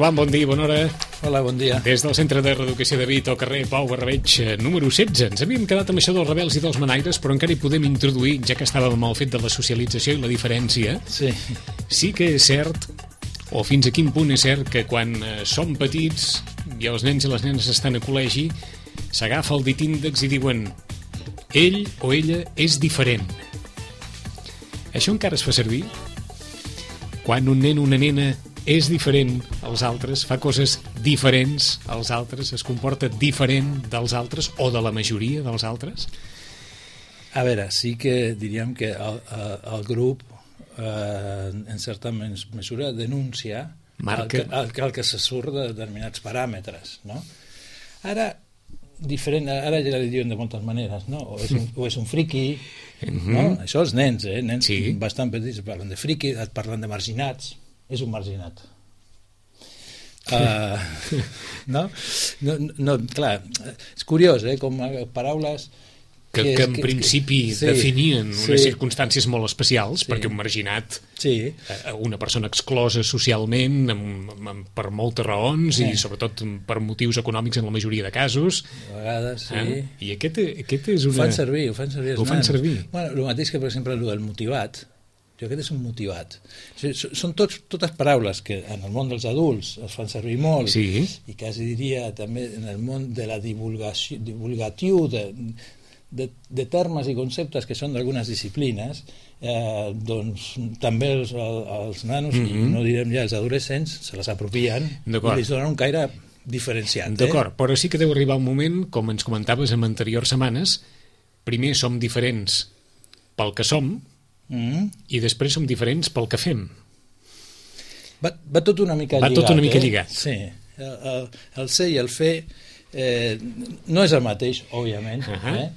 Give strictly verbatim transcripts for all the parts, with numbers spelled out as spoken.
Roman, bon dia, bona hora. Hola, bon dia. Des del Centre de Reeducació de Vic, al carrer Pau Barrabeig, número setze. Ens havíem quedat amb això dels rebels i dels manaires, però encara hi podem introduir, ja que estàvem amb el fet de la socialització i la diferència. Sí. Sí que és cert, o fins a quin punt és cert, que quan eh, som petits i els nens i les nenes estan a col·legi, s'agafa el dit índex i diuen ell o ella és diferent. Això encara es fa servir? Quan un nen o una nena és diferent als altres, fa coses diferents als altres, es comporta diferent dels altres o de la majoria dels altres? A veure, sí que diríem que el, el grup eh, en certa mesura denuncia Marca. el, que, el, el que se surt de determinats paràmetres, no? Ara, diferent, ara ja li diuen de moltes maneres, no? O és un, o és un friqui, Mm-hmm. no? Això els nens, eh? Nens Sí. bastant petits parlen de friqui, et parlen de marginats, és un marginat. Uh, no? No, no, clar, és curiós, eh? Com paraules Que, que, que en que, principi que, sí, definien sí, unes circumstàncies molt especials, sí. perquè un marginat, sí. eh, una persona exclosa socialment amb, amb, per moltes raons Sí. i sobretot per motius econòmics en la majoria de casos. A vegades, sí. Eh? I aquest, aquest és Ho una... fan servir, ho fan servir els Ho fan nens. servir. Bueno, el mateix que, per exemple, el del motivat. Jo aquest és un motivat. O sigui, són tots, totes paraules que en el món dels adults es fan servir molt, Sí. i quasi diria també en el món de la divulgació, divulgatiu de, de, de termes i conceptes que són d'algunes disciplines, eh, doncs també els, els nanos, mm-hmm. i no direm ja els adolescents, se les apropien i li donen un caire diferenciat. D'acord, eh? però sí que deu arribar un moment, com ens comentaves en anteriors setmanes, primer som diferents pel que som, Mm-hmm. i després som diferents pel que fem. Va, va tot una mica va lligat. tot una mica eh? lligat. Sí, el, el, el ser i el fer eh, no és el mateix, òbviament, Uh-huh. eh?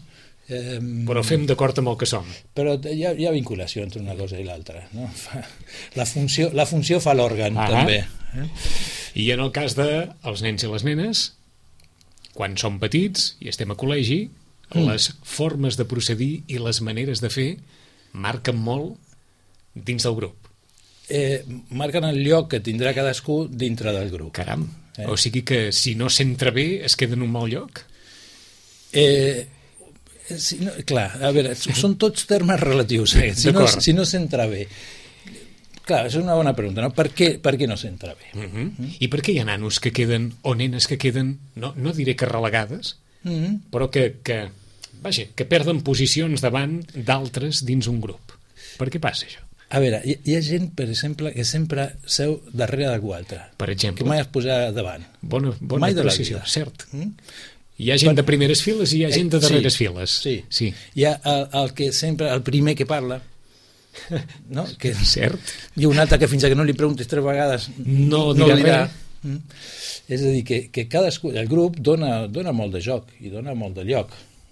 Eh, Però fem d'acord amb el que som. però hi ha, hi ha vinculació entre una cosa i l'altra, no? La funció, la funció fa l'òrgan, Uh-huh. també. Eh? I en el cas dels nens i les nenes, quan som petits i estem a col·legi, mm. les formes de procedir i les maneres de fer marquen molt dins del grup. Eh, marquen el lloc que tindrà cadascú dintre del grup. Caram, Eh? o sigui que si no s'entra bé es queda en un mal lloc? Eh, si no, clar, a veure, són tots termes relatius. Eh? Si, no, si no s'entra bé. Clar, és una bona pregunta, no? Per què, per què no s'entra bé? Uh-huh. Mm. I per què hi ha nanos que queden, o nenes que queden, no, no diré que relegades, Mm-hmm. però que, que, vaja, que perden posicions davant d'altres dins un grup? Per què passa això? A veure, hi, hi ha gent, per exemple, que sempre seu darrere d'algú altre. Per exemple? Que mai es posa davant. Bona, bona Mai de la precisió, vida. cert. Mm? Hi ha gent Per- de primeres files i hi ha gent de Eh, sí, darreres files. Sí. sí. Hi ha el, el que sempre, el primer que parla, no? Que, Cert. i un altre que fins que no li preguntes tres vegades No no dirà dirà. res. Mm? És a dir, que, que cadascú, el grup dona, dona molt de joc i dona molt de lloc.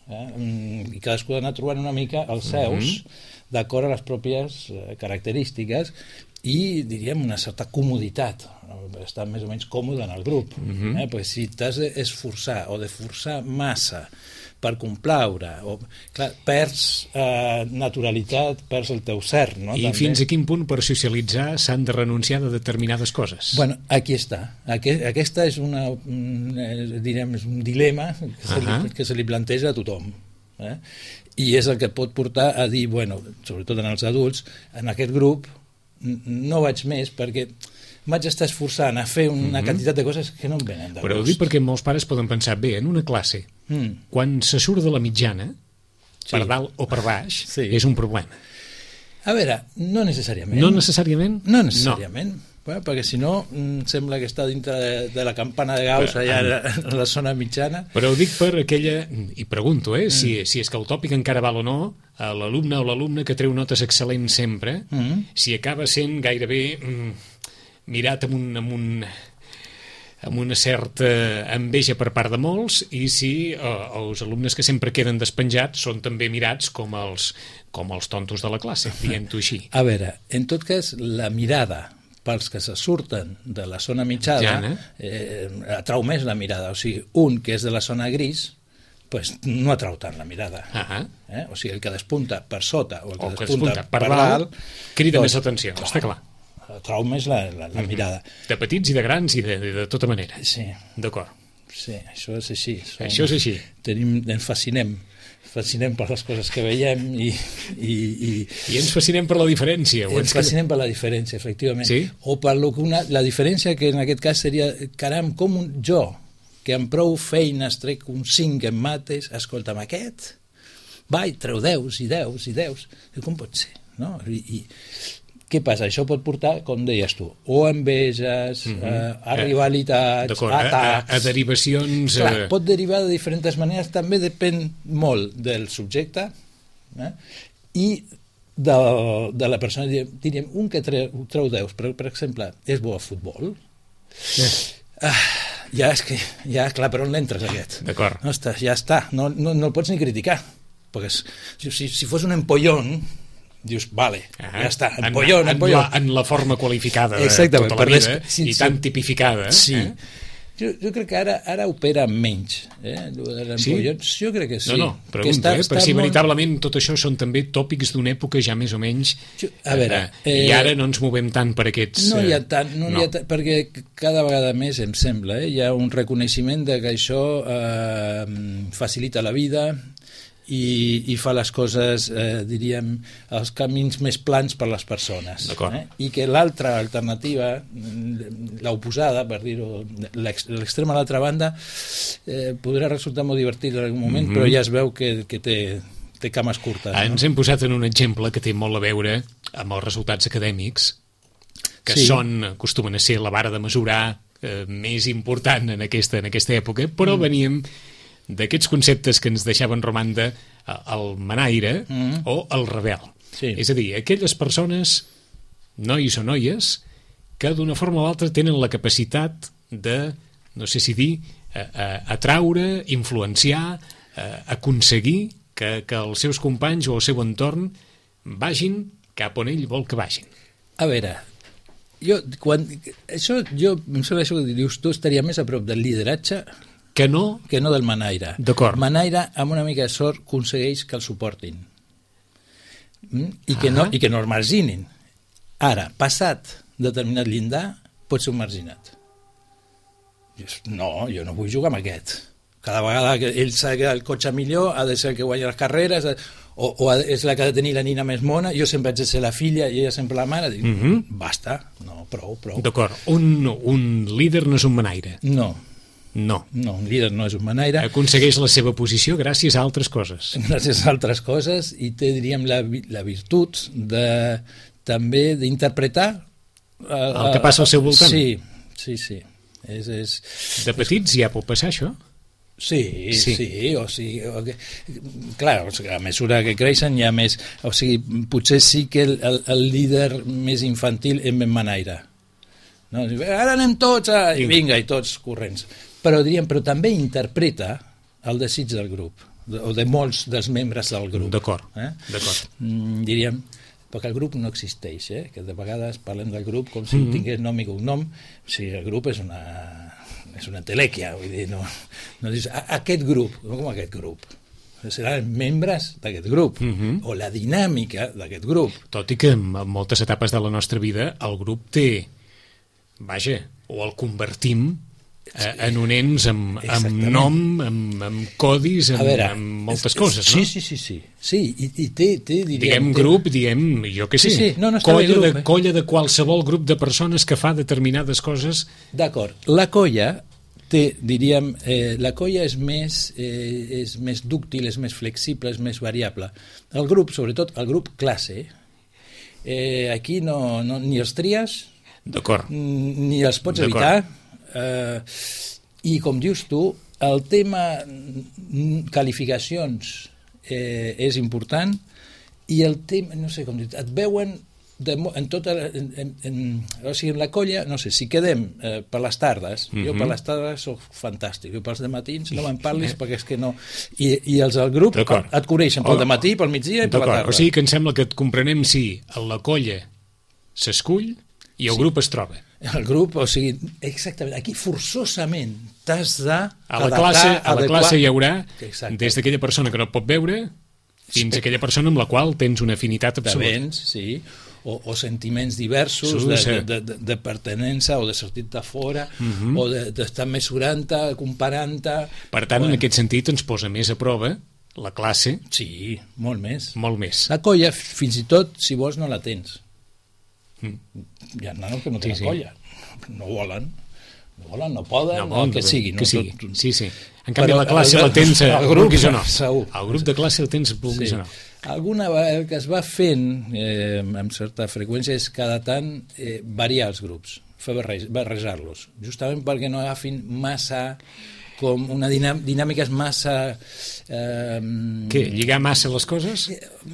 Eh? Mm, I cadascú ha d'anar trobant una mica els seus Mm-hmm. d'acord a les pròpies eh, característiques i, diríem, una certa comoditat, estar més o menys còmode en el grup. Mm-hmm. eh? Perquè si t'has d'esforçar o de forçar massa per complaure, o, clar, perds eh, naturalitat, perds el teu cert, no? I També. fins a quin punt per socialitzar s'han de renunciar de determinades coses? Bueno, aquí està. Aquest, aquesta és una, un, eh, direm, és un dilema que se, li, Uh-huh. que se li planteja a tothom. Eh? I és el que pot portar a dir, bueno, sobretot en els adults, en aquest grup n- no vaig més perquè vaig estar esforçant a fer una Mhm. quantitat de coses que no em venen de Però ho gust. dic perquè molts pares poden pensar, bé, en una classe, Mm. quan se surt de la mitjana, Sí. per dalt o per baix, Sí. és un problema. A veure, no necessàriament. No necessàriament? No necessàriament. No. Bueno, perquè si no, mm, sembla que està dintre de, de la campana de Gauss, allà en la zona mitjana. Però ho dic per aquella... I pregunto, eh, Mm. si, si és que el tòpic encara val o no, a l'alumne o l'alumne que treu notes excel·lents sempre, Mm. si acaba sent gairebé mm, mirat amb un... Amb un amb una certa enveja per part de molts, i si eh, els alumnes que sempre queden despenjats són també mirats com els, com els tontos de la classe, dient-ho així. A veure, en tot cas, la mirada pels que se surten de la zona mitjana eh, atrau més la mirada. O sigui, un que és de la zona gris, pues, no atrau tant la mirada. Ah, Eh? O sigui, el que despunta per sota o el que, o que despunta, despunta per per dalt, dalt crida doncs, més atenció, clar, està clar. el trauma és la, la, la mirada. De petits i de grans i de, de, de tota manera. Sí. D'acord. Sí, això és així. Som, això és així. Tenim, ens fascinem. fascinem per les coses que veiem i... I, i, I ens fascinem per la diferència. I ens fascinem per la diferència, efectivament. Sí? O per lo que una, la diferència que en aquest cas seria, caram, com un, jo, que amb prou feines trec un cinc en mates, escolta'm, aquest, va, i treu deus i deus i deus. I com pot ser? No? I, i, què passa? Això pot portar, com deies tu, o a enveges, mm -hmm. a, a rivalitats, a atacs... A, a, a derivacions... Clar, pot derivar de diferents maneres, també depèn molt del subjecte eh? i de, de la persona. Diríem, un que treu, treu deus, per, per exemple, és bo a futbol, sí. ah, ja és que, ja, clar, per on l'entres aquest? D'acord. No està, ja està, no, no, no el pots ni criticar, perquè si, si fos un empollón, dius, vale, ah, ja està, empollón, en, empollón. En la, en la forma qualificada de exactament, tota la vida, les, sí, i sí, tan tipificada. Sí. Eh? Jo, jo crec que ara, ara opera menys. Eh? Sí? Jo crec que sí. No, no, pregunto, està, eh? està per si molt... veritablement tot això són també tòpics d'una època ja més o menys... Jo, a veure... Eh, I ara no ens movem tant per aquests... No hi ha tant, no, no. Hi ha tant, perquè cada vegada més, em sembla, eh? Hi ha un reconeixement de que això eh, facilita la vida... I, i fa les coses, eh, diríem, els camins més plans per les persones. Eh? I que l'altra alternativa, l'oposada, per dir-ho, l'extrem a l'altra banda, eh, podrà resultar molt divertit en algun moment, mm-hmm. però ja es veu que, que té, té cames curtes. Ah, no? Ens hem posat en un exemple que té molt a veure amb els resultats acadèmics, que sí. són, acostumen a ser la vara de mesurar eh, més important en aquesta, en aquesta època, però mm. veníem d'aquests conceptes que ens deixaven romanda el manaire mm. o el rebel. Sí. És a dir, aquelles persones, nois o noies, que d'una forma o altra tenen la capacitat de, no sé si dir, atraure, influenciar, aconseguir que, que els seus companys o el seu entorn vagin cap on ell vol que vagin. A veure, jo, quan, això, jo em sembla això que dius, tu estaria més a prop del lideratge que no, que no del manaire. D'acord. Manaire, amb una mica de sort, aconsegueix que el suportin mm? I, que no, i que no el marginin. Ara, passat determinat llindar, pot ser un marginat. Dius, no, jo no vull jugar amb aquest. Cada vegada que ell s'ha de quedar el cotxe millor, ha de ser el que guanya les carreres, o, o és la que ha de tenir la nina més mona, jo sempre haig de ser la filla i ella sempre la mare. Dic, mm-hmm. basta, no, prou, prou. D'acord, un, un líder no és un manaire. No. No. No, un líder no és un manaire. Aconsegueix la seva posició gràcies a altres coses. Gràcies a altres coses, i té, diríem, la, la virtut de, també d'interpretar el, el que passa al seu voltant. Sí, sí, sí. És, és... De petits ja pot passar això? Sí, sí, sí, o sigui, o que, clar, o sigui, a mesura que creixen hi ha més, o sigui, potser sí que el, el, el líder més infantil és ben manaire. No? Ara anem tots a... i vinga, i tots corrents. Però diríem, però també interpreta el desig del grup, o de molts dels membres del grup. D'acord, eh? d'acord. Mm, diríem, perquè el grup no existeix, eh? Que de vegades parlem del grup com si mm-hmm. tingués nom i cognom. O sigui, el grup és una, és una telèquia, vull dir, no, no dius, aquest grup, no com aquest grup. Seran membres d'aquest grup, mm-hmm. o la dinàmica d'aquest grup. Tot i que en moltes etapes de la nostra vida el grup té, vaja, o el convertim en un ens amb, amb nom, amb, amb codis, amb, veure, amb moltes coses, sí, no? Sí, sí, sí. Sí, i, i té, té, diríem... Diguem té... grup, diem, jo què sé, sí, sí. No, no colla, grup, de, eh? colla de qualsevol grup de persones que fa determinades coses. D'acord. La colla té, diríem, eh, la colla és més, eh, és més dúctil, és més flexible, és més variable. El grup, sobretot el grup classe, eh, aquí no, no, ni els tries, d'acord, ni els pots evitar, eh, i com dius tu, el tema qualificacions eh, és important, i el tema, no sé com dir, et veuen de, en tota en, en, en, o sigui, en la colla, no sé, si quedem eh, per les tardes, mm-hmm. jo per les tardes soc fantàstic, jo pels dematins no me'n parlis perquè és que no, i, i els del grup et coneixen pel dematí, pel migdia i per la tarda. O sigui que em sembla que et comprenem si la colla s'escull i el sí. grup es troba. El grup, o sigui, exactament, aquí forçosament t'has de... A la classe, a la classe hi haurà exacte. Des d'aquella persona que no pot veure fins a aquella persona amb la qual tens una afinitat absoluta. Vens, sí. o, o sentiments diversos Sí, de, sí. de, de, de pertenença o de sortir de fora, Mhm. o de- d'estar mesurant-te, comparant-te... Per tant, Bueno, en aquest sentit, ens posa més a prova la classe, Sí, molt més. molt més. La colla, fins i tot, si vols, no la tens. Mm. Hi ha nanos que no Sí, tenen sí. colla. No volen. No volen, no poden, No, no, bon, el que sigui. que no, sigui. Tot- Sí, sí. En canvi, Però la classe el- la tens, el el grup, vulguis o no. segur. El grup de classe el tens, vulguis Sí. o no. Alguna vegada que es va fent eh, amb certa freqüència és cada tant eh, variar els grups, fer barrej- barrejar-los, justament perquè no agafin massa com una dinàm dinàmiques massa eh, Què, lligar massa les coses?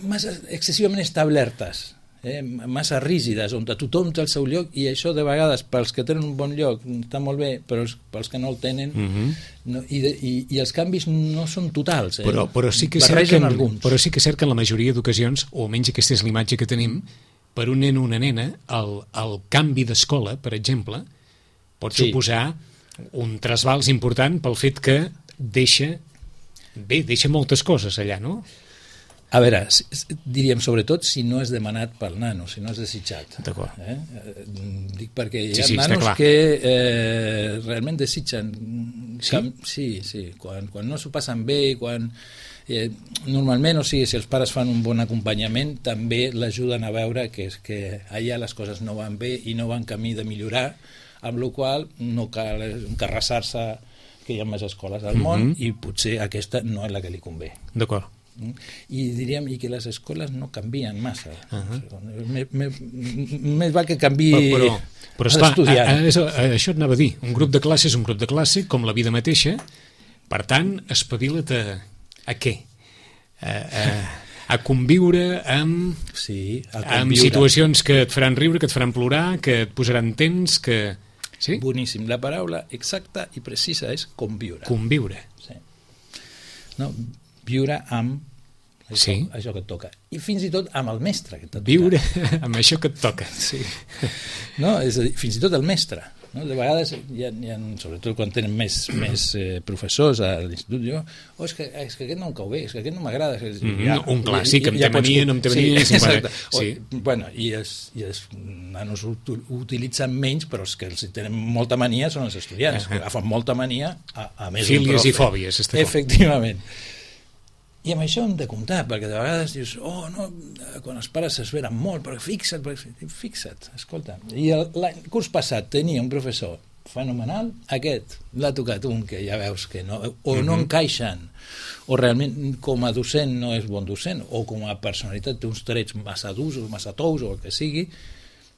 massa excessivament establertes, eh, massa rígides, on tothom té el seu lloc, i això de vegades pels que tenen un bon lloc està molt bé, però els, pels que no el tenen Mhm. no, i, de, i, i els canvis no són totals, eh? Però, però, sí que és cert Barregen que, alguns. però sí que és cert que en la majoria d'ocasions, o almenys aquesta és la imatge que tenim, per un nen o una nena, el, el canvi d'escola, per exemple, pot Sí. suposar un trasbals important pel fet que deixa, bé, deixa moltes coses allà, no? A veure, s- s- diríem sobretot si no és demanat pel nano, si no és desitjat. D'acord. Eh? Eh, Dic perquè hi Sí, ha sí, està nanos clar. que eh, realment desitgen... Sí? Cam... Sí, sí, quan, quan no s'ho passen bé, quan... Eh, normalment, o sigui, si els pares fan un bon acompanyament, també l'ajuden a veure que, és que allà les coses no van bé i no van camí de millorar, amb la qual no cal encarrassar-se que hi ha més escoles al món, Mhm. i potser aquesta no és la que li convé. D'acord. Mm? I diríem i que les escoles no canvien massa. Uh-huh. Més, més, més val que canvi Però, però, però esclar, a, l'estudiant. a, a, això et anava a dir. Un grup de classe és un grup de classe, com la vida mateixa. Per tant, espavila't a, a què? A, a, a conviure amb, Sí, a amb conviure. situacions que et faran riure, que et faran plorar, que et posaran tens, que... Sí? Boníssim. La paraula exacta i precisa és conviure. Conviure. Sí. No? Viure amb això, Sí. això que et toca. I fins i tot amb el mestre que et toca. Viure amb això que et toca. Sí. No? És a dir, fins i tot el mestre. No? De vegades, hi ha, hi ha, sobretot quan tenen més, més eh, professors a l'institut, diuen, oh, és, que, és que aquest no em cau bé, és que aquest no m'agrada. És que Mhm, un clàssic, em té pots- mania, no em té mania, Sí, sempre- exacte. sí. O, bueno, i els, i els nanos ho, ho utilitzen menys, però els que els tenen molta mania són els estudiants, Uh-huh. que agafen molta mania a, a més Fílies d'un profe. i fòbies, està clar. Efectivament. I amb això hem de comptar, perquè de vegades dius, oh, no, quan els pares s'esveren molt, però fixa't, perquè... fixa't, escolta. I el, l'any curs passat tenia un professor fenomenal, aquest l'ha tocat un que ja veus que no, o no Mhm. encaixen, o realment com a docent no és bon docent, o com a personalitat té uns trets massa durs o massa tous o el que sigui,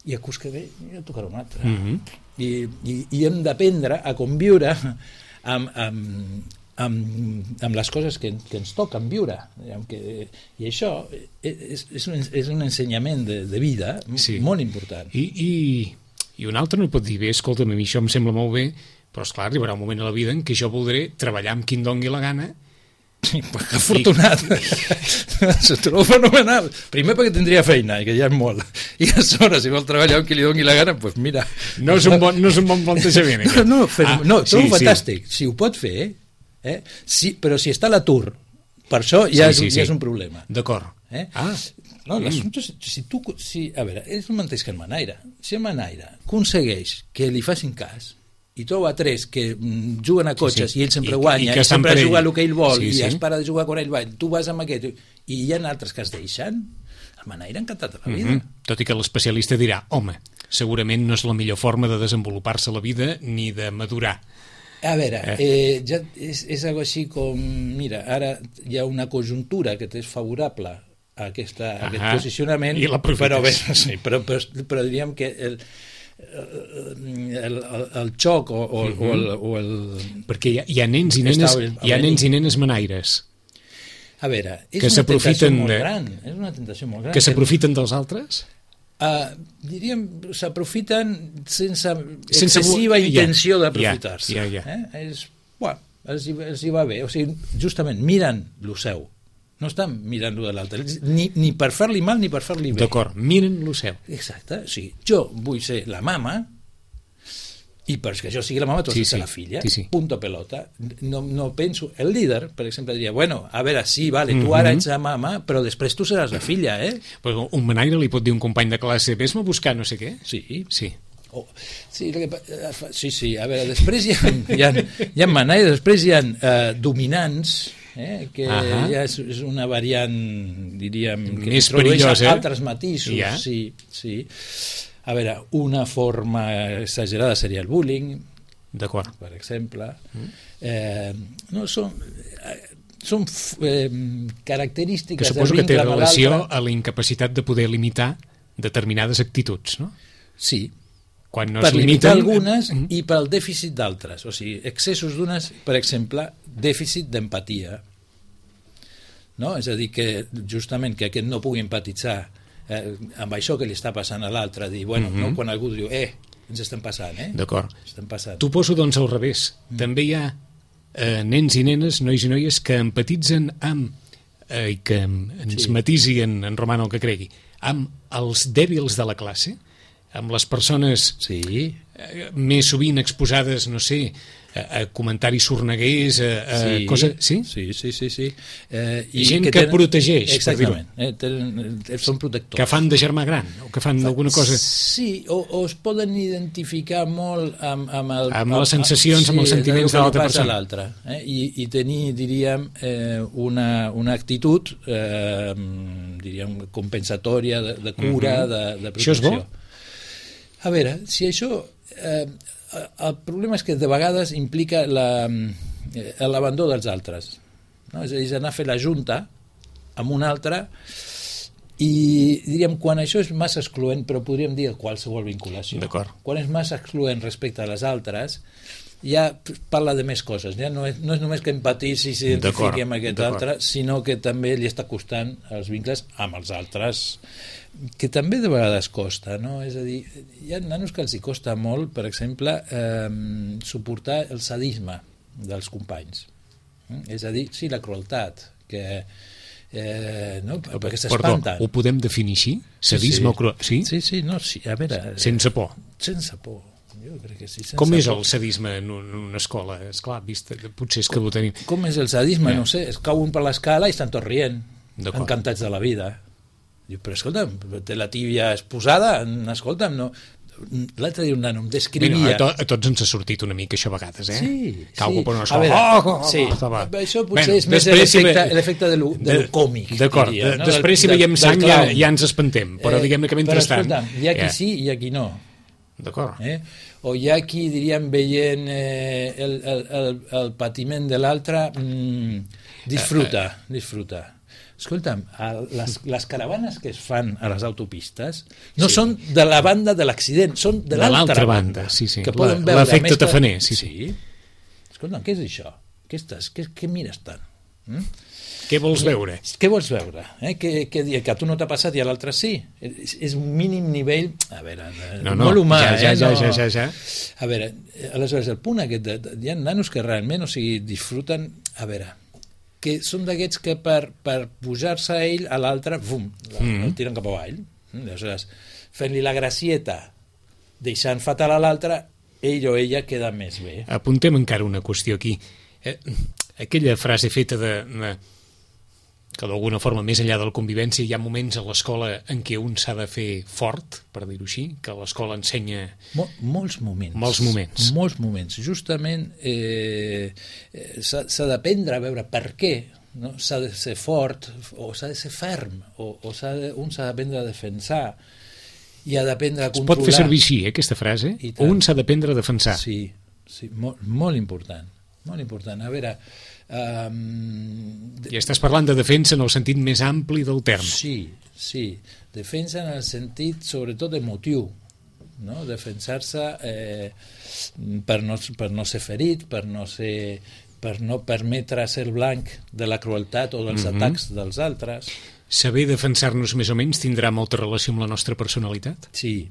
i el curs que ve ja tocarà un altre. Mhm. I, i, i hem d'aprendre a conviure amb, amb, amb, amb les coses que, que ens toquen viure. Diguem que, i això és, és, un, és un ensenyament de, de vida Sí. molt important. I, i, I un altre no pot dir, bé, escolta'm, a mi això em sembla molt bé, però esclar, arribarà un moment a la vida en què jo voldré treballar amb qui em dongui la gana. Sí, pues que afortunat. S'ho trobo fenomenal. Primer perquè tindria feina, i que ja és molt. I a sobre, si vol treballar amb qui li doni la gana, doncs pues mira. No és un bon, no és un bon plantejament. No, aquest. no, fer, Ah, no trobo sí, fantàstic. Si ho pot fer, eh? Sí, però si està a l'atur, per això ja, Sí, sí, és, sí. ja és un problema. D'acord. Eh? Ah, No, mm. l'assumpte és, si tu, si, a veure, és el mateix que el manaire. Si el manaire aconsegueix que li facin cas i troba tres que mm, juguen a cotxes Sí, sí. i ell sempre I- guanya, i i, que estan sempre per ell. juga el que ell vol, Sí, i sí. es para de jugar quan ell va, tu vas amb aquest, i hi ha altres que es deixen, el manaire encantat de la vida. Mhm. Tot i que l'especialista dirà, home, segurament no és la millor forma de desenvolupar-se la vida ni de madurar. A veure, eh, ja és, és algo així com, mira, ara hi ha una conjuntura que t'és favorable a, aquesta, a aquest Ahà, posicionament, i l'aprofites. però, bé, sí, però, però, però diríem que el, el, el, el xoc o, o, Mhm. o, el, o el... Perquè hi ha, hi ha nens i nenes, Està hi ha venint. nens i nenes manaires A veure, és Que una tentació s'aprofiten molt de- gran, és una tentació molt gran. que s'aprofiten dels altres. Uh, diríem, s'aprofiten sense, Sense excessiva vo- ja, intenció d'aprofitar-se. ja, ja, ja. Eh? És, bueno, els, hi, els hi va bé. O sigui, justament, miren lo seu. No estan mirant lo de l'altre. Ni, ni per fer-li mal ni per fer-li bé. D'acord, miren lo seu. Exacte. O sigui, jo vull ser la mama i perquè això sigui la mama, tu has Sí, de ser sí. la filla, Sí, sí. punto pelota. No, no penso... El líder, per exemple, diria, bueno, a veure, sí, vale, tu Mhm. ara ets la mama, però després tu seràs la filla, eh? Però un manaire li pot dir a un company de classe vés-me a buscar no sé què? Sí, Sí. Oh, sí, el que pa- eh, fa- sí, sí, a veure, després hi ha, hi ha, hi ha manaires, després hi ha eh, dominants, eh, que Ahà. ja és, és una variant, diríem, que Més introdueix perillosa. altres matisos. Ja. Sí, sí. A veure, una forma exagerada seria el bullying, D'acord. per exemple. Eh, no, són, eh, són f- eh, característiques Que suposo que del té vincle amb relació l'altre. a la incapacitat de poder limitar determinades actituds, no? Sí, Quan no per es limitar limiten... algunes Mhm. i pel dèficit d'altres. O sigui, excessos d'unes, per exemple, dèficit d'empatia. No? És a dir, que justament que aquest no pugui empatitzar eh, amb això que li està passant a l'altre, dir, bueno, Mhm. no? Quan algú diu, eh, ens estem passant, eh? D'acord. Estem passant. T'ho poso, doncs, al revés. Mm. També hi ha eh, nens i nenes, nois i noies, que empatitzen amb, eh, i que ens Sí. matisi en, en Romano el que cregui, amb els dèbils de la classe, amb les persones Sí, eh, més sovint exposades, no sé, a, a comentaris sorneguers, a, a sí, coses... Sí? sí, sí, sí, sí. Eh, Gent que protegeix, per exactament, eh, tenen, eh, són protectors. Que fan de germà gran, o que fan alguna cosa... Sí, o, o es poden identificar molt amb, amb, el, Amb les sensacions, amb els sentiments de del que li l'altra passa a persona. l'altre, eh? I, i tenir, diríem, eh, una, una actitud eh, diríem, compensatòria, de, de cura, Mhm. de, de Això és protecció. bo? A veure, si això... Eh, el problema és que de vegades implica la, eh, l'abandó dels altres. No? És a dir, és anar a fer la junta amb un altre i diríem, quan això és massa excloent, però podríem dir qualsevol vinculació. D'acord. Quan és massa excloent respecte a les altres, ja parla de més coses. Ja no és, no és només que empatitzi i s'identifiqui amb aquest D'acord. altre, sinó que també li està costant els vincles amb els altres, que també de vegades costa, no? És a dir, hi ha nanos que els hi costa molt, per exemple, eh, suportar el sadisme dels companys. Mm? És a dir, sí, la crueltat, que eh, no? perquè Perdó, s'espanten. ho podem definir així? Sadisme o cru... Sí? Sí, sí, no, sí, a veure... Sense por. Sense por. Jo crec que sí, sense Com és por. el sadisme en un- en una escola? Esclar, vist, potser és que ho tenim... Com és el sadisme? Ja. No sé, es cauen per l'escala i estan tots rient, D'acord. encantats de la vida. Diu, però escolta'm, té la tíbia exposada, escolta'm, no... L'altre dia un nano em descrivia... Mira, a, to, a tots ens ha sortit una mica això a vegades, eh? Sí, Que algú sí. per una A escola... veure, oh, oh, sí. estava... Això potser Bueno, és més després si l'efecte ve- l'efecte de lo, de lo còmic. D'acord, diria, de- no? després si Del- veiem del- sang del ja, clown. ja ens espantem, però Eh, diguem-ne que mentrestant... Però escolta'm, hi ha qui Ja. sí i hi ha qui no. D'acord. Eh? O hi ha qui, diríem, veient eh, el, el, el, el patiment de l'altre, mm, disfruta, disfruta. Escolta'm, a les, les caravanes que es fan a les autopistes no Sí. són de la banda de l'accident, són de De l'altra l'altra banda. banda, sí, sí. Que La- poden veure l'efecte més que- tafaner, sí, sí. Escolta'm, què és això? Què, estàs, què, què mires tant? Mm? Què vols veure? Què vols veure? Eh? Que, que, que a tu no t'ha passat i a l'altre sí? És, és un mínim nivell... A veure, No, no, molt humà, ja, ja, eh? ja, no... ja, ja, ja. A veure, aleshores, el punt aquest, de, de, hi ha nanos que realment, o sigui, disfruten... A veure, que són d'aquests que per, per pujar-se a ell, a l'altre, bum, Mm. el tiren cap avall. Aleshores, fent-li la gracieta, deixant fatal a l'altre, ell o ella queda més bé. Apuntem encara una qüestió aquí. Eh, aquella frase feta de, de que d'alguna forma, més enllà de la convivència, hi ha moments a l'escola en què un s'ha de fer fort, per dir-ho així, que l'escola ensenya... Mol, molts moments. Molts moments. Molts moments. Justament eh, eh, s'ha s'ha d'aprendre a veure per què, no? S'ha de ser fort o s'ha de ser ferm o, o s'ha de, un s'ha d'aprendre a defensar i ha d'aprendre a Es controlar. pot fer servir així, eh, aquesta frase? I tant. Un s'ha d'aprendre a defensar. Sí, sí, molt, molt important. Molt important. A veure... Um, I estàs parlant de defensa en el sentit més ampli del terme. Sí, sí. Defensa en el sentit, sobretot, emotiu. No? Defensar-se eh, per, no, per no ser ferit, per no, ser, per no permetre ser blanc de la crueltat o dels Mhm. atacs dels altres. Saber defensar-nos més o menys tindrà molta relació amb la nostra personalitat? Sí,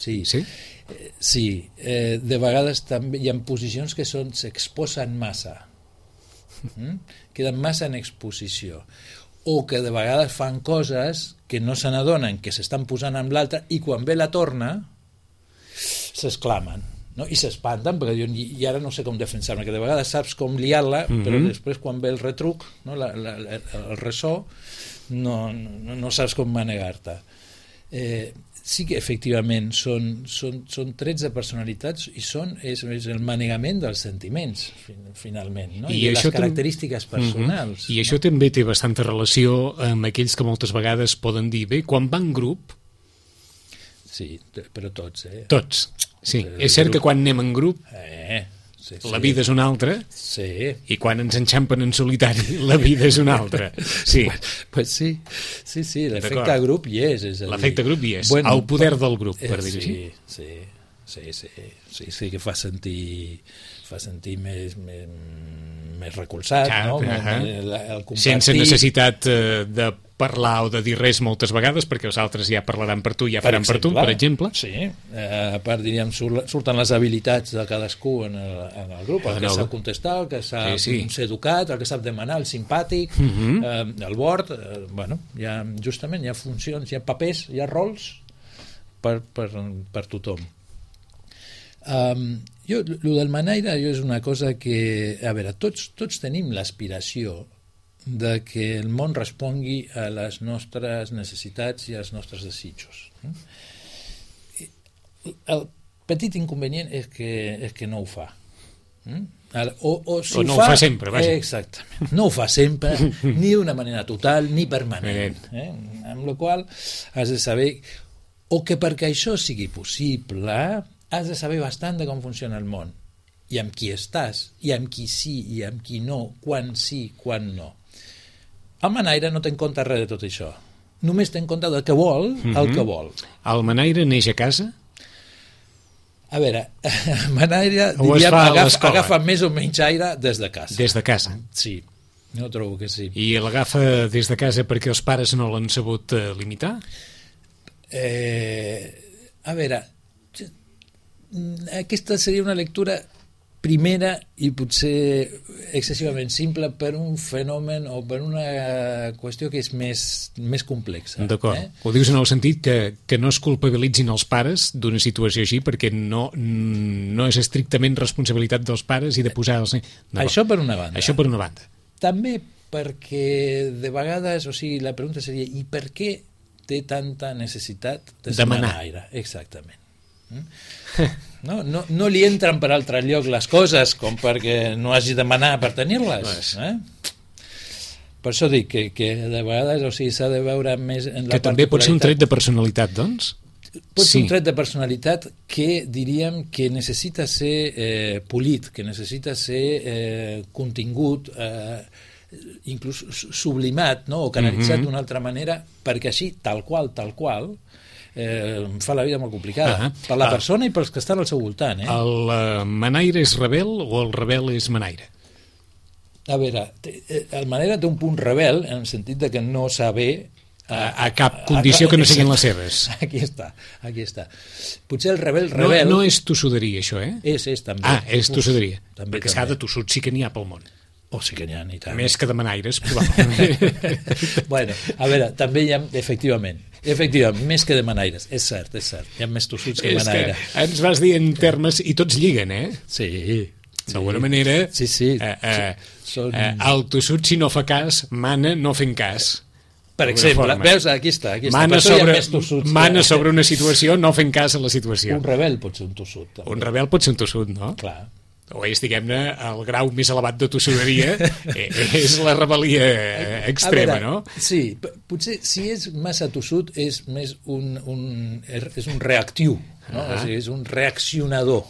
sí. Sí? Eh, sí. Eh, de vegades també hi ha posicions que són s'exposen massa. Mm? Queden massa en exposició, o que de vegades fan coses que no se n'adonen que s'estan posant amb l'altre i quan ve la torna s'exclamen, no? I s'espanten perquè diuen, i, i ara no sé com defensar-me, que de vegades saps com liar-la, mm-hmm. però després quan ve el retruc, no? la, la, la, el ressò, no, no, no saps com manegar-te. Eh, sí que efectivament són, són, són trets de personalitats i són, és, és el manegament dels sentiments finalment, no? I, I les característiques personals. Uh-huh. I no? Això també té bastanta relació amb aquells que moltes vegades poden dir, bé, quan va en grup... Sí, però tots, eh? Tots, sí. El és cert grup... que quan anem en grup... Eh... Sí, sí. La vida és una altra, sí. I quan ens enxampen en solitari la vida és una altra. Sí, pues sí, sí, sí, l'efecte grup hi és. és l'efecte grup hi és, bueno, el poder del grup, per eh, dir-ho sí, així. Sí, sí, sí, sí, sí, que fa sentir, fa sentir més, més, més recolzat, Clar, no? Uh-huh. El, el compartir... Sense necessitat eh, de parlar o de dir res moltes vegades, perquè els altres ja parlaran per tu, ja faran per, exemple, per tu, per exemple. Sí, eh, a part, diríem, surten les habilitats de cadascú en el, en el grup, el que sap contestar, el que sap sí, sí. ser educat, el que sap demanar, el simpàtic, uh-huh. eh, el board, eh, bueno, hi ha, justament hi ha funcions, hi ha papers, hi ha rols per, per, per tothom. Um, jo, el del manaire jo és una cosa que, a veure, tots, tots tenim l'aspiració de que el món respongui a les nostres necessitats i als nostres desitjos. El petit inconvenient és que, és que no ho fa. O, o, si o no ho fa, ho fa sempre, vaja. Exactament. No ho fa sempre, ni d'una manera total, ni permanent. Eh? Amb la qual has de saber, o que perquè això sigui possible, has de saber bastant de com funciona el món, i amb qui estàs, i amb qui sí, i amb qui no, quan sí, quan no. El manaire no té en compte res de tot això. Només té en compte del que vol, el uh-huh. que vol. El manaire neix a casa? A veure, el manaire diríem, agafa, agafa més o menys aire des de casa. Des de casa? Sí, jo trobo que sí. I l'agafa des de casa perquè els pares no l'han sabut uh, limitar? Eh, a veure, aquesta seria una lectura primera i potser excessivament simple per un fenomen o per una qüestió que és més, més complexa. D'acord. Eh? Ho dius en el sentit que, que no es culpabilitzin els pares d'una situació així perquè no, no és estrictament responsabilitat dels pares i de posar els... Això per una banda. Això per una banda. També perquè de vegades, o sigui, la pregunta seria i per què té tanta necessitat de demanar aire? Exactament. No, no, no li entren per altre lloc les coses com perquè no hagi de demanar per tenir-les, eh? Per això dic que, que de vegades, o sigui, s'ha de veure més en la que també pot ser un tret de personalitat, doncs? Pot ser sí. un tret de personalitat que diríem que necessita ser eh, polit, que necessita ser eh, contingut, eh, inclús sublimat, no? O canalitzat mm-hmm. d'una altra manera, perquè així, tal qual, tal qual, Eh, fa la vida molt complicada uh-huh. per la persona uh, i pels que estan al seu voltant, eh? El uh, manaire és rebel o el rebel és manaire? A veure, el manaire té un punt rebel en el sentit de que no saber a, a cap condició a, a, que no siguin les seves. Aquí està, aquí està. Potser el rebel rebel... No, no és tossuderia, això, eh? És, és, també. Ah, és tossuderia. Uf, també, perquè també. s'ha de tossut sí que n'hi ha pel món. Oh, sí que n'hi ha, i tant. Més que de manaires, probablement. Bueno, a veure, també hi ha, efectivament, efectivament, més que de manaires, és cert, és cert, hi ha més tossuts que manaire. Que ens vas dir en termes, i tots lliguen, eh? Sí. D'alguna sí. manera, sí, sí. Eh, eh, Són... eh, el tossut, si no fa cas, mana no fent cas. Per exemple, veus, aquí està, aquí està. Mana, sobre, tossuts, mana que... sobre una situació no fent cas a la situació. Un rebel pot ser un tossut. També. Un rebel pot ser un tossut, no? Clar. O és, diguem-ne, el grau més elevat de tossuderia és la rebel·lia extrema, veure, no? Sí, potser si és massa tossut és més un, un, és un reactiu, no? Uh-huh. O sigui, és un reaccionador.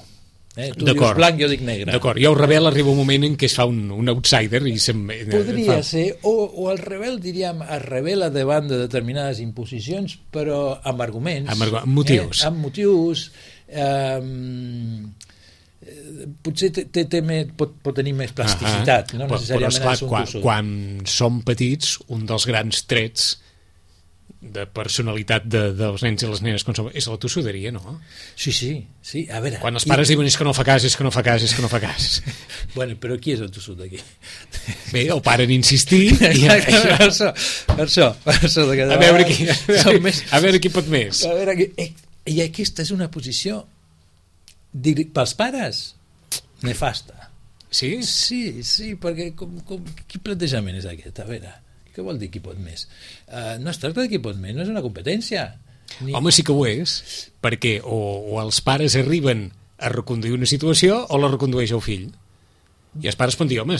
Eh? Tu dius blanc, jo dic negre. D'acord, i el rebel arriba un moment en què es fa un, un outsider i se'n... Podria fa... ser, o, o el rebel, diríem, es rebel·la davant de determinades imposicions, però amb arguments. Amb, argu... amb motius. Eh? Amb motius... Eh, potser té, té, té més, pot, pot tenir més plasticitat, uh-huh. no necessàriament però, però esclar, quan, quan som petits, un dels grans trets de personalitat de, dels nens i les nenes som, és la tossuderia, no? Sí, sí, sí, a veure... Quan els pares I... diuen és que no fa cas, és que no fa cas, és que no fa cas. Bueno, però qui és el tossut d'aquí? Bé, el pare en insistir... I... per això, per això, per això de a, veure qui, a, veure, més... a veure qui pot més. A veure, qui... I aquesta és una posició dir, pels pares, nefasta. Sí? Sí, sí, perquè com, com, quin plantejament és aquest? A veure, què vol dir qui pot més? Uh, no es tracta de qui pot més, no és una competència. Ni... Home, sí que ho és, perquè o, o els pares arriben a reconduir una situació o la recondueix el fill. I els pares poden dir, home,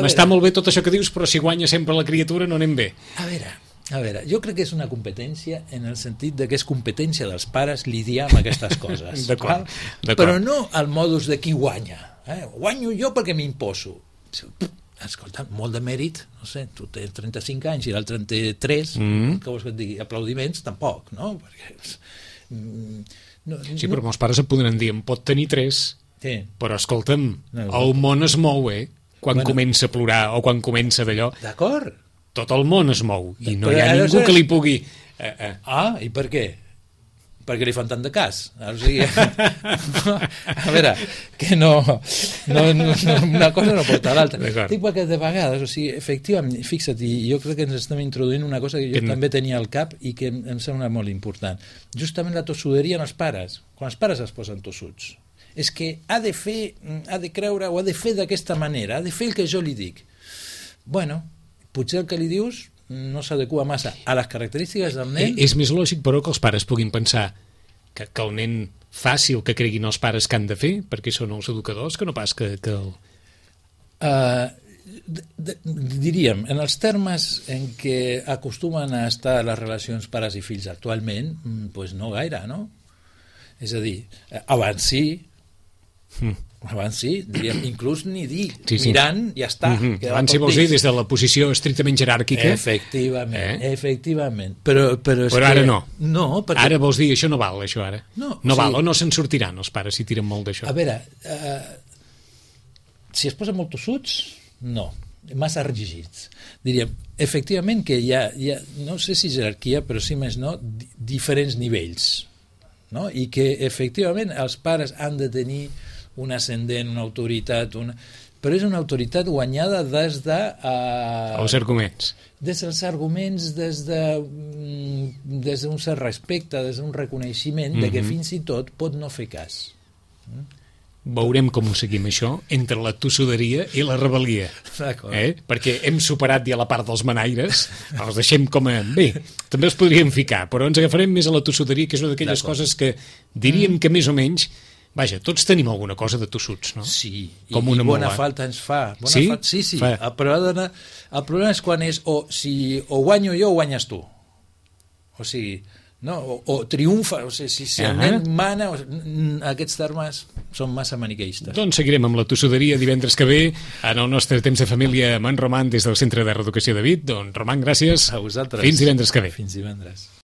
m'està molt bé tot això que dius, però si guanya sempre la criatura no anem bé. A veure, a veure, jo crec que és una competència en el sentit de que és competència dels pares lidiar amb aquestes coses. D'acord, d'acord. Però no al modus de qui guanya. Eh? Guanyo jo perquè m'imposo. Escolta, molt de mèrit, no sé, tu tens trenta-cinc anys i l'altre en té tres, mm. que vols que et digui? Aplaudiments, tampoc, no? Perquè, mm, no sí, no... però molts pares et podran dir, en pot tenir tres, sí. Però escolta'm, no, no. El món es mou, eh? Quan bueno. comença a plorar o quan comença d'allò. D'acord. Tot el món es mou i no però hi ha ningú que li pugui... Eh, eh. Ah, i per què? Perquè li fan tant de cas. O sigui, a veure, que no, no, no, una cosa no porta a l'altra. Dic perquè de vegades, o sigui, efectivament, fixa't, i jo crec que ens estem introduint una cosa que jo que també tenia al cap i que em, em sembla molt important. Justament la tossuderia en els pares. Quan els pares es posen tossuts, és que ha de fer, ha de creure o ha de fer d'aquesta manera, ha de fer el que jo li dic. Bueno, potser el que li dius no s'adequa massa a les característiques del nen. És més lògic, però, que els pares puguin pensar que, que el nen faci el que creguin els pares que han de fer, perquè són els educadors, que no pas que... que el... uh, de, de, diríem, en els termes en què acostumen a estar les relacions pares i fills actualment, doncs no gaire, no? És a dir, abans sí, mm. abans sí, diríem, inclús ni dir, sí, sí. Mirant, ja està. Mm-hmm. Abans sí vols dir des de la posició estrictament jeràrquica. Efectivament, eh? efectivament. Però, però, és però que... ara no. No, perquè... Ara vols dir, això no val, això ara. No, no val, sigui... o no se'n sortiran els pares si tiren molt d'això. A veure, uh, si es posen molt tossuts, no, massa rígids. Diríem, efectivament que hi ha, hi ha, no sé si jerarquia, però sí més no, di diferents nivells. No? I que efectivament els pares han de tenir un ascendent, una autoritat, una... però és una autoritat guanyada des de... Uh... Els arguments. Des dels arguments, des de des d'un cert respecte, des d'un reconeixement mm-hmm. de que fins i tot pot no fer cas. Mm? Veurem com ho seguim això entre la tossuderia i la rebel·lia, eh? Perquè hem superat ja la part dels manaires, els deixem com a... bé, també els podríem ficar, però ens agafarem més a la tossuderia, que és una d'aquelles coses que diríem que més o menys, vaja, tots tenim alguna cosa de tossuts, no? Sí, com i, una i bona mola. Falta ens fa. Bona sí? Falta, sí, sí. El problema, el problema és quan és o, si, o guanyo jo o guanyes tu. O sigui... No? O, o triomfa, o sigui, si, si el nen mana, o, aquests termes són massa maniqueistes. Doncs seguirem amb la tossuderia divendres que ve en el nostre temps de família amb en Roman des del Centre de Reeducació de Vic. Doncs Roman, gràcies. A vosaltres. Fins divendres que ve. Fins divendres.